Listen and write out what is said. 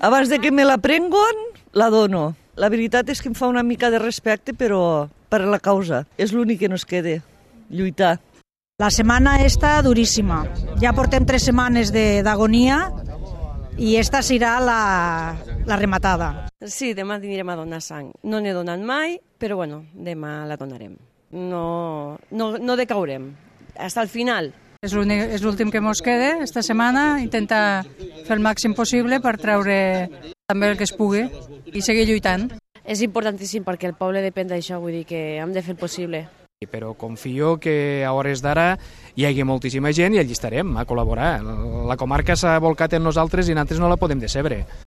Abans de que me la prenguin, la dono. La veritat és que em fa una mica de respecte, però per la causa. És l'únic que nos queda, lluitar. La setmana està duríssima. Ja portem 3 setmanes d'agonia i esta serà la rematada. Sí, demà anirem a donar sang. No n'he donat mai, però bueno, demà la donarem. No decaurem. Fins al final. És l'últim que ens queda esta setmana, intentar fer el màxim possible per treure també el que es pugui i seguir lluitant. És importantíssim perquè el poble depèn d'això, vull dir que hem de fer el possible. Però confio que a hores d'ara hi hagi moltíssima gent i allí estarem a col·laborar. La comarca s'ha volcat en nosaltres i nosaltres no la podem decebre.